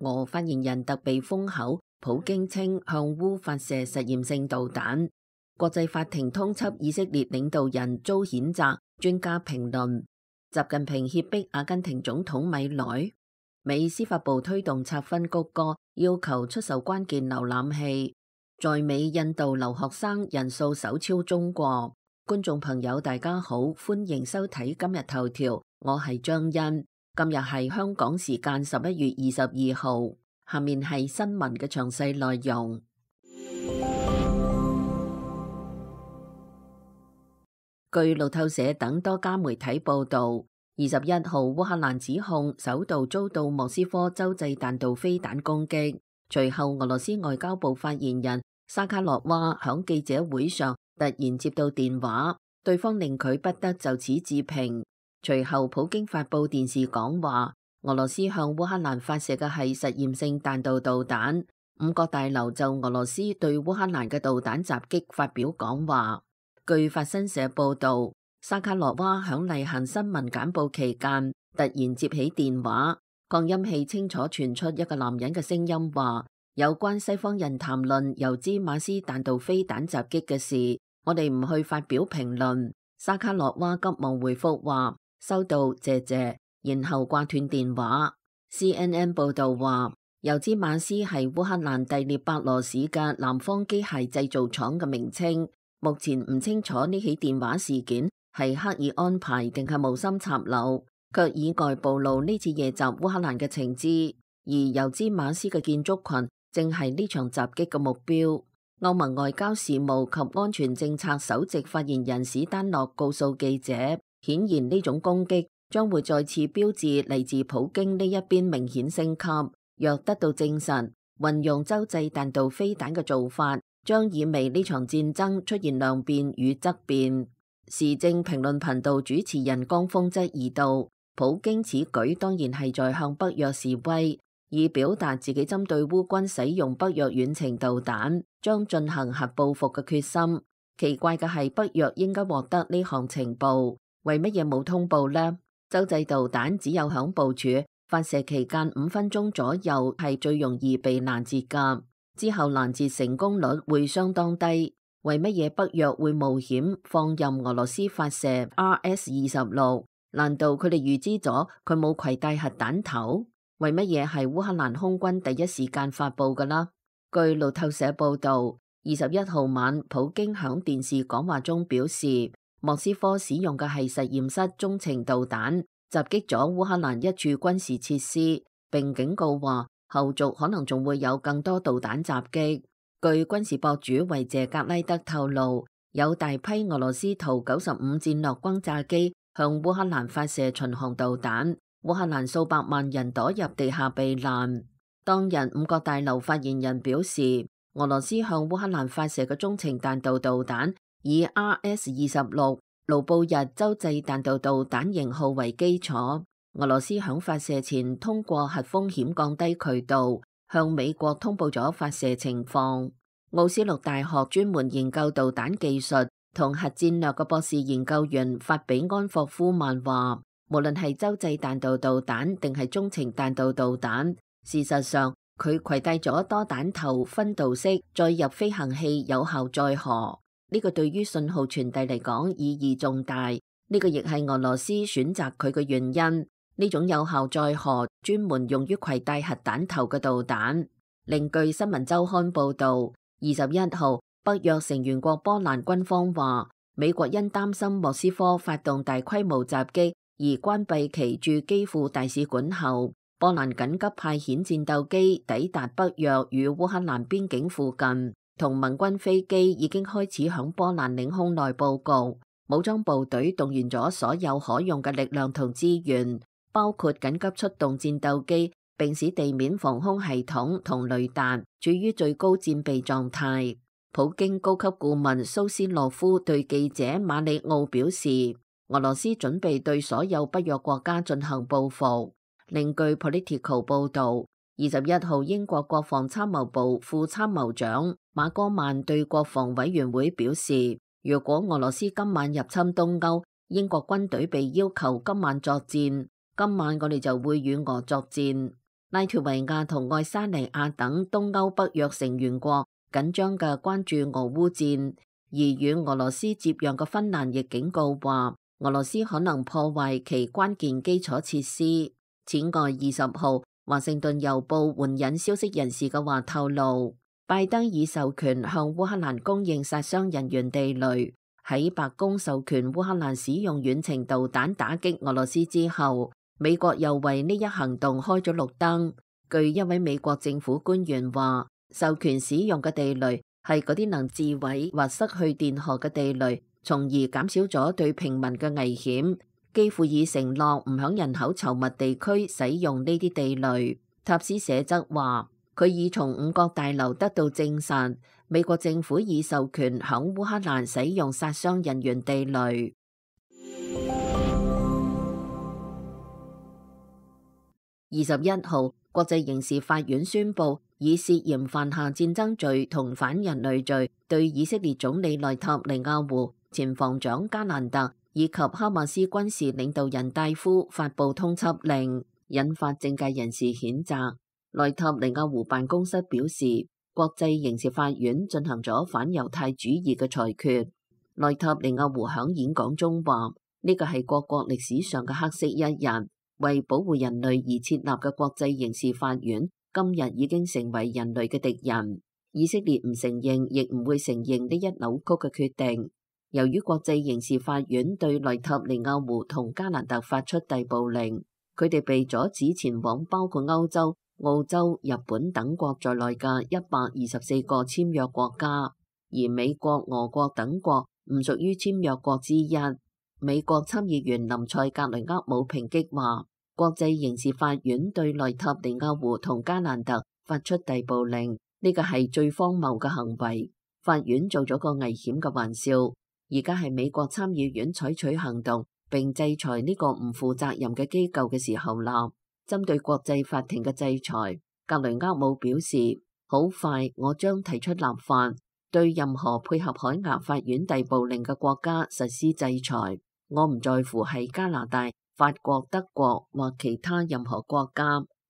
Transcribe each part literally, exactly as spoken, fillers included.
俄發言人特被封口，普京稱向烏發射實驗性導彈。國際法庭通緝以色列領導人遭譴責，專家評論。習近平脅迫阿根廷總統米萊。美司法部推動拆分谷歌，要求出售關鍵瀏覽器。在美印度留學生人數首超中國。觀眾朋友大家好，歡迎收睇今日頭條，我係張欣。今日係香港時間十一月二十二號，下面係新聞嘅詳細內容。據路透社等多家媒體報道，二十一號烏克蘭指控首度遭到莫斯科洲際彈道飛彈攻擊，隨後俄羅斯外交部發言人沙卡洛娃響記者會上突然接到電話，對方令佢不得就此置評。隨後普京發佈電視講話，俄羅斯向烏克蘭發射嘅係實驗性彈道導彈。五角大樓就俄羅斯對烏克蘭嘅導彈襲擊發表講話。據法新社報道，沙卡洛娃響例行新聞簡報期間突然接起電話，擴音器清楚傳出一個男人嘅聲音話：有關西方人談論由茲馬斯彈道飛彈襲擊嘅事，我哋唔去發表評論。沙卡洛娃急忙回覆話：收到，謝謝，然後掛斷電話。C N N 報道話，尤茲馬斯係烏克蘭第聶伯羅市嘅南方機械製造廠嘅名稱。目前唔清楚呢起電話事件係刻意安排定係無心插柳，卻意外暴露呢次夜襲烏克蘭嘅情資。而尤茲馬斯嘅建築群正係呢場襲擊嘅目標。歐盟外交事務及安全政策首席發言人史丹諾告訴記者，顯然呢種攻擊將會再次標誌嚟自普京呢一邊明顯升級。若得到證實，運用洲際彈道飛彈嘅做法將意味呢場戰爭出現量變與質變。時政評論頻道主持人江峰質疑道，普京此舉當然係在向北約示威，以表達自己針對烏軍使用北約遠程導彈將進行核報復嘅決心。奇怪嘅係，北約應該獲得呢項情報，為乜嘢冇通報呢？洲際導彈只有響部署發射期間五分鐘左右係最容易被攔截㗎，之後攔截成功率會相當低。為乜嘢北約會冒險放任俄羅斯發射 R S 二十六？難道佢哋預知咗佢冇攜帶核彈頭？為乜嘢係烏克蘭空軍第一時間發佈㗎啦？據路透社報道，二十一號晚，普京響電視講話中表示，莫斯科使用嘅係實驗室中程導彈，襲擊咗烏克蘭一處軍事設施，並警告話後續可能仲會有更多導彈襲擊。據軍事博主維謝格拉德透露，有大批俄羅斯圖九十五戰略轟炸機向烏克蘭發射巡航導彈，烏克蘭數百萬人躲入地下避難。當日五角大樓發言人表示，俄羅斯向烏克蘭發射嘅中程彈道導彈以 R S 二十六盧布日洲際彈道導彈型號為基礎，俄羅斯響發射前通過核風險降低渠道向美國通報咗發射情況。奧斯陸大學專門研究導彈技術同核戰略嘅博士研究員法比安霍夫曼話，無論係洲際彈道導彈定係中程彈道導彈，事實上佢攜帶咗多彈頭分導式載入飛行器有效載荷，呢個對於信號傳遞嚟講意義重大。呢個亦係俄羅斯選擇佢嘅原因。呢種有效載荷專門用於攜帶核彈頭嘅導彈。另據新聞週刊報導，二十一號北約成員國波蘭軍方話，美國因擔心莫斯科發動大規模襲擊而關閉其駐基輔大使館後，波蘭緊急派遣戰鬥機抵達北約與烏克蘭邊境附近，同盟軍飛機已經開始響波蘭領空內佈局。武裝部隊動員咗所有可用嘅力量同資源，包括緊急出動戰鬥機，並使地面防空系統同雷達處於最高戰備狀態。普京高級顧問蘇斯洛夫對記者馬里奧表示，俄羅斯準備對所有北約國家進行報復。另據 Politico 報導，二十一號英國國防參謀部副參謀長馬戈曼對國防委員會表示，如果俄羅斯今晚入侵東歐，英國軍隊被要求今晚作戰，今晚我哋就會與俄作戰。拉脫維亞同愛沙尼亞等東歐北約成員國緊張嘅關注俄烏戰，而與俄羅斯接壤嘅芬蘭亦警告話，俄羅斯可能破壞其關鍵基礎設施。此外，二十號華盛頓郵報援引消息人士嘅話透露，拜登已授權向烏克蘭供應殺傷人員地雷。喺白宮授權烏克蘭使用遠程導彈打擊俄羅斯之後，美國又為呢一行動開咗綠燈。據一位美國政府官員話，授權使用嘅地雷係嗰啲能自毀或失去電荷嘅地雷，從而減少咗對平民嘅危險。基輔已承諾唔響人口稠密地區使用呢啲地雷。塔斯社則話，佢已從五角大樓得到證實，美國政府已授權響烏克蘭使用殺傷人員地雷。二十一號，國際刑事法院宣布，以涉嫌犯下戰爭罪同反人類罪，對以色列總理內塔尼亞胡、前防長加蘭特以及哈馬斯軍事領導人戴夫發布通緝令，引發政界人士譴責。內塔尼亞胡辦公室表示，國際刑事法院進行咗反猶太主義嘅裁決。內塔尼亞胡響演講中話，呢個係各國歷史上嘅黑色一日。為保護人類而設立嘅國際刑事法院，今日已經成為人類嘅敵人。以色列唔承認，亦唔會承認呢一扭曲嘅決定。由於國際刑事法院對內塔尼亞胡同加蘭特發出逮捕令，佢哋被阻止前往包括歐洲、澳洲、日本等國在內嘅一百二十四個簽約國家，而美國、俄國等國唔屬於簽約國之一。美國參議員林賽格雷厄姆抨擊話，國際刑事法院對內塔尼亞胡同加蘭特發出逮捕令，呢個係最荒謬嘅行為。法院做咗個危險嘅玩笑，而家係美國參議院採取行動並制裁呢個唔負責任嘅機構嘅時候啦。針對國際法庭嘅制裁，格雷厄姆表示，好快我將提出立法，對任何配合海牙法院逮捕令嘅國家實施制裁。我唔在乎係加拿大、法國、德國或其他任何國家，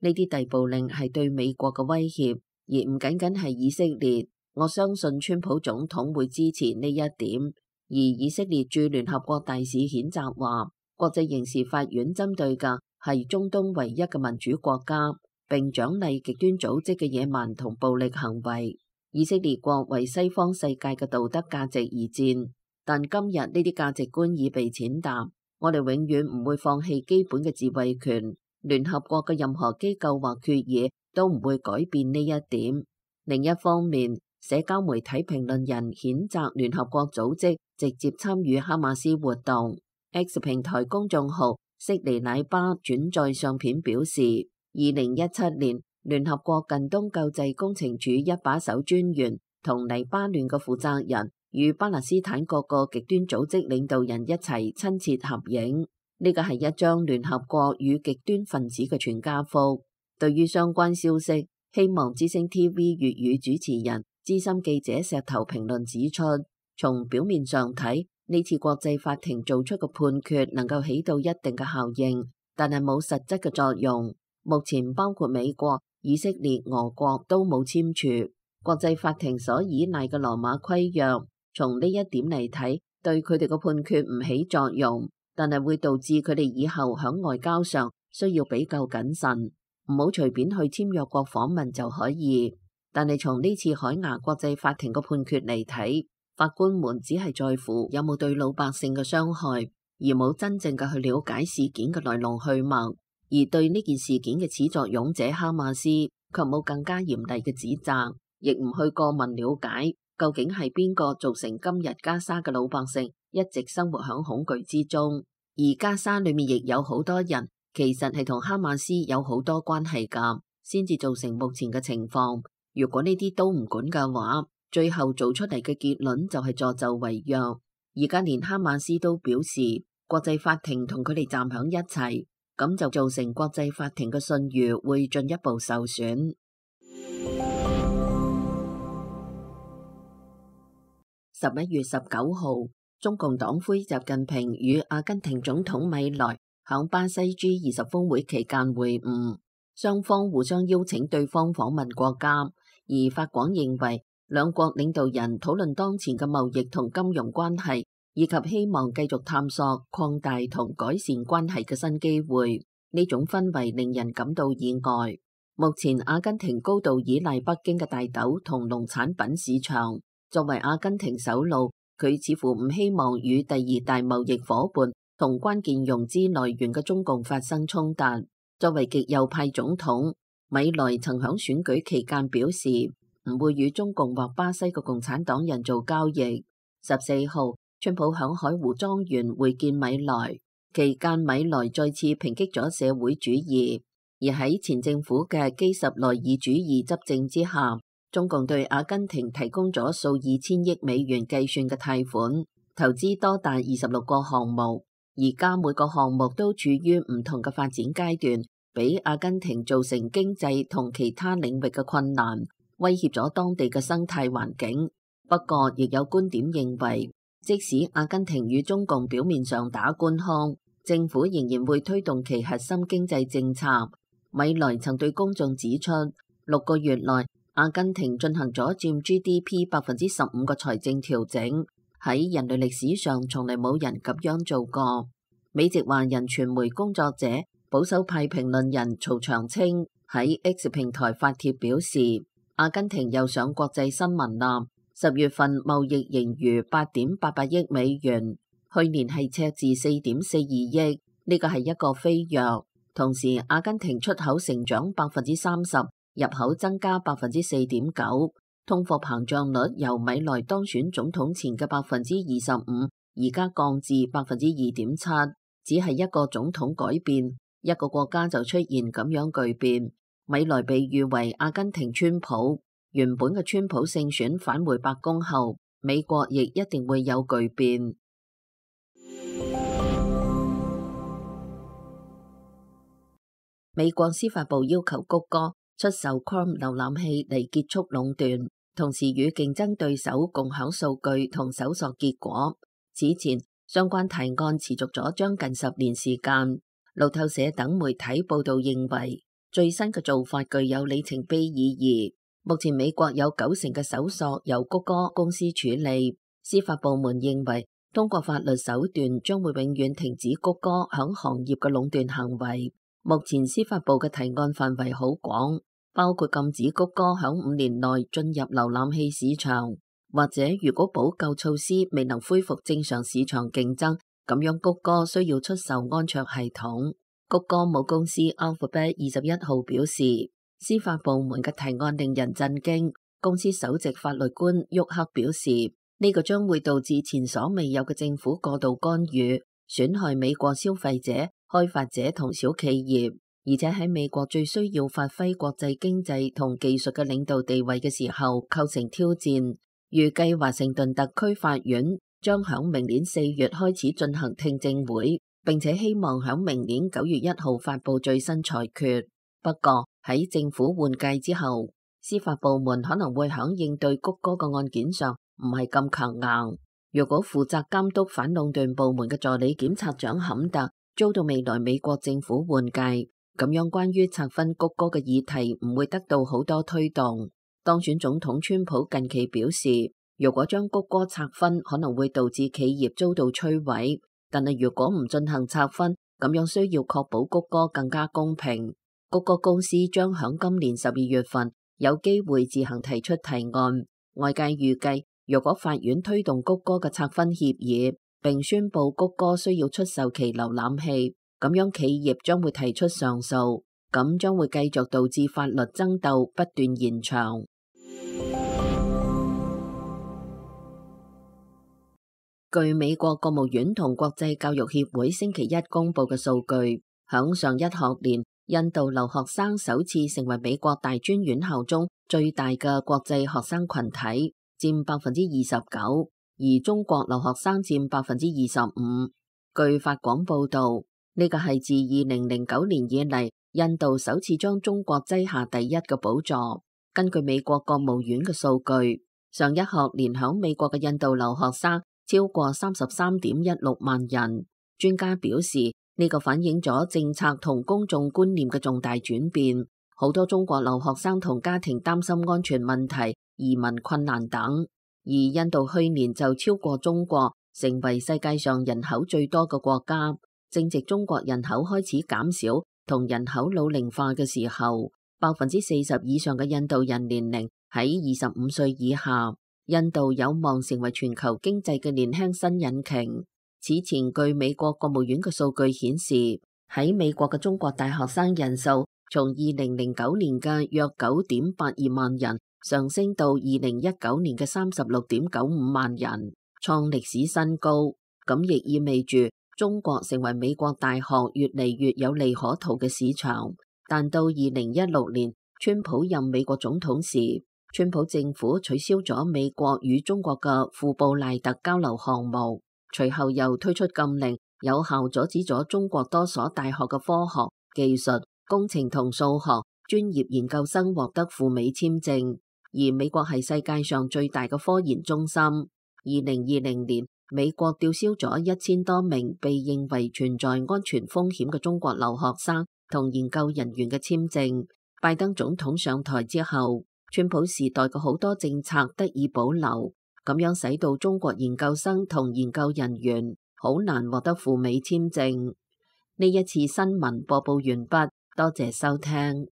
呢啲逮捕令係對美國嘅威脅，而唔僅僅係以色列。我相信川普總統會支持呢一點。而以色列駐聯合國大使譴責話，國際刑事法院針對嘅係中東唯一嘅民主國家，並獎勵極端組織嘅野蠻同暴力行為。以色列國為西方世界嘅道德價值而戰。但今日呢啲價值觀已被踐踏，我哋永遠唔會放棄基本嘅自衛權。聯合國嘅任何機構或決議都唔會改變呢一點。另一方面，社交媒體評論人譴責聯合國組織直接參與哈馬斯活動。X 平台公眾號悉尼奶巴轉載相片表示，二零一七年聯合國近東救濟工程處一把手專員同黎巴嫩嘅負責人與巴勒斯坦各個極端組織領導人一齊親切合影，呢個係一張聯合國與極端分子嘅全家福。對於相關消息，希望之聲 T V 粵語主持人資深記者石頭評論指出，從表面上睇，呢次國際法庭做出嘅判決能夠起到一定嘅效應，但係冇實質嘅作用。目前包括美國、以色列、俄國都冇簽署國際法庭所依賴嘅羅馬規約。從呢一點嚟睇，對佢哋嘅判決唔起作用，但係會導致佢哋以後響外交上需要比較謹慎，唔好隨便去簽約國訪問就可以。但係從呢次海牙國際法庭嘅判決嚟睇，法官們只係在乎有冇對老百姓嘅傷害，而冇真正嘅去了解事件嘅來龍去脈，而對呢件事件嘅始作俑者哈馬斯卻冇更加嚴厲嘅指責，亦唔去過問了解究竟係邊個造成今日加沙嘅老百姓一直生活喺恐懼之中？而加沙裏面亦有好多人其實係同哈馬斯有好多關係噶，先至造成目前嘅情況。如果呢啲都唔管嘅話，最後做出嚟嘅結論就係助紂為虐。而家連哈馬斯都表示國際法庭同佢哋站響一齊，咁就造成國際法庭嘅信譽會進一步受損。十一月十九號，中共黨魁習近平與阿根廷總統米萊響巴西 G 二十峰會期間會晤。雙方互相邀請對方訪問國家，而法廣認為兩國領導人討論當前嘅貿易同金融關係，以及希望繼續探索擴大同改善關係嘅新機會。呢種氛圍令人感到意外。目前阿根廷高度依賴北京嘅大豆同農產品市場，作為阿根廷首腦，佢似乎唔希望與第二大貿易夥伴同關鍵融資來源嘅中共發生衝突。作為極右派總統，米萊曾響選舉期間表示唔會與中共或巴西嘅共產黨人做交易。十四號，川普響海湖莊園會見米萊，期間米萊再次抨擊咗社會主義。而喺前政府嘅基什內爾主義執政之下，中共對阿根廷提供咗數以千億美元計算嘅貸款，投資多達二十六個項目，而家每個項目都處於唔同嘅發展階段，俾阿根廷造成經濟同其他領域嘅困難，威脅咗當地嘅生態環境。不過，亦有觀點認為，即使阿根廷與中共表面上打官腔，政府仍然會推動其核心經濟政策。米萊曾對公眾指出，六個月內阿根廷進行咗佔 G D P 百分之十五嘅財政調整，喺人類歷史上從嚟冇人咁樣做過。美籍華人傳媒工作者、保守派評論人曹長青喺 X 平台發帖表示，阿根廷又上國際新聞啦，十月份貿易盈餘八點八八億美元，去年係赤字四點四二億，呢個係一個飛躍。同時，阿根廷出口成長百分之三十，入口增加百分之四點九，通貨膨脹率由米萊當選總統前嘅百分之二十五，而家降至百分之二點七，只係一個總統改變，一個國家就出現咁樣巨變。米萊被譽為阿根廷川普，原本嘅川普勝選返回白宮後，美國亦一定會有巨變。美國司法部要求谷歌出售 Chrome 瀏覽器嚟結束壟斷，同時與競爭對手共享數據同搜索結果。此前相關提案持續咗將近十年時間。路透社等媒體報道認為，最新嘅做法具有里程碑意義。目前美國有九成嘅搜索由谷歌公司處理，司法部門認為通過法律手段將會永遠停止谷歌響行業嘅壟斷行為。目前司法部嘅提案範圍好廣，包括禁止谷歌響五年內進入瀏覽器市場，或者如果補救措施未能恢復正常市場競爭，咁樣谷歌需要出售安卓系統。谷歌母公司 Alphabet 二十一號表示，司法部門嘅提案令人震驚。公司首席法律官沃克表示，呢個將會導致前所未有嘅政府過度干預，損害美國消費者、開發者同小企業，而且喺美國最需要發揮國際經濟同技術嘅領導地位嘅時候構成挑戰。預計華盛頓特區法院將響明年四月開始進行聽證會，並且希望響明年九月一號發佈最新裁決。不過喺政府換屆之後，司法部門可能會響應對谷歌嘅案件上唔係咁強硬。如果負責監督反壟斷部門嘅助理檢察長坎特遭到未來美國政府換屆，咁樣關於拆分谷歌嘅議題唔會得到好多推動。當選總統川普近期表示，如果將谷歌拆分，可能會導致企業遭到摧毀。但係如果唔進行拆分，咁樣需要確保谷歌更加公平。谷歌公司將響今年十二月份有機會自行提出提案。外界預計，如果法院推動谷歌嘅拆分協議，並宣布谷歌需要出售其瀏覽器，咁樣企業將會提出上訴，咁將會繼續導致法律爭鬥不斷延長。據美國國務院同國際教育協會星期一公布嘅數據，響上一學年，印度留學生首次成為美國大專院校中最大嘅國際學生群體，佔百分之二十九。而中國留學生佔百分之二十五。據法廣報道，呢個係自二零零九年以嚟，印度首次將中國擠下第一嘅寶座。根據美國國務院嘅數據，上一學年響美國嘅印度留學生超過三十三點一六萬人。專家表示，呢個反映咗政策同公眾觀念嘅重大轉變，好多中國留學生同家庭擔心安全問題、移民困難等。而印度去年就超過中國，成為世界上人口最多嘅國家。正值中國人口開始減少同人口老齡化嘅時候，百分之四十以上嘅印度人年齡喺二十五歲以下。印度有望成為全球經濟嘅年輕新引擎。此前，據美國國務院嘅數據顯示，喺美國嘅中國大學生人數從二零零九年嘅約九點八二萬人上升到二零一九年嘅三十六點九五萬人，創歷史新高。咁亦意味住中國成為美國大學越嚟越有利可圖嘅市場。但到二零一六年，川普任美國總統時，川普政府取消咗美國與中國嘅庫布賴特交流項目，隨後又推出禁令，有效阻止咗中國多所大學嘅科學、技術、工程同數學專業研究生獲得赴美簽證。而美國係世界上最大嘅科研中心。二零二零年，美國吊銷咗一千多名被認為存在安全風險嘅中國留學生同研究人員嘅簽證。拜登總統上台之後，川普時代嘅好多政策得以保留，咁樣使到中國研究生同研究人員好難獲得赴美簽證。呢一次新聞播報完畢，多謝收聽。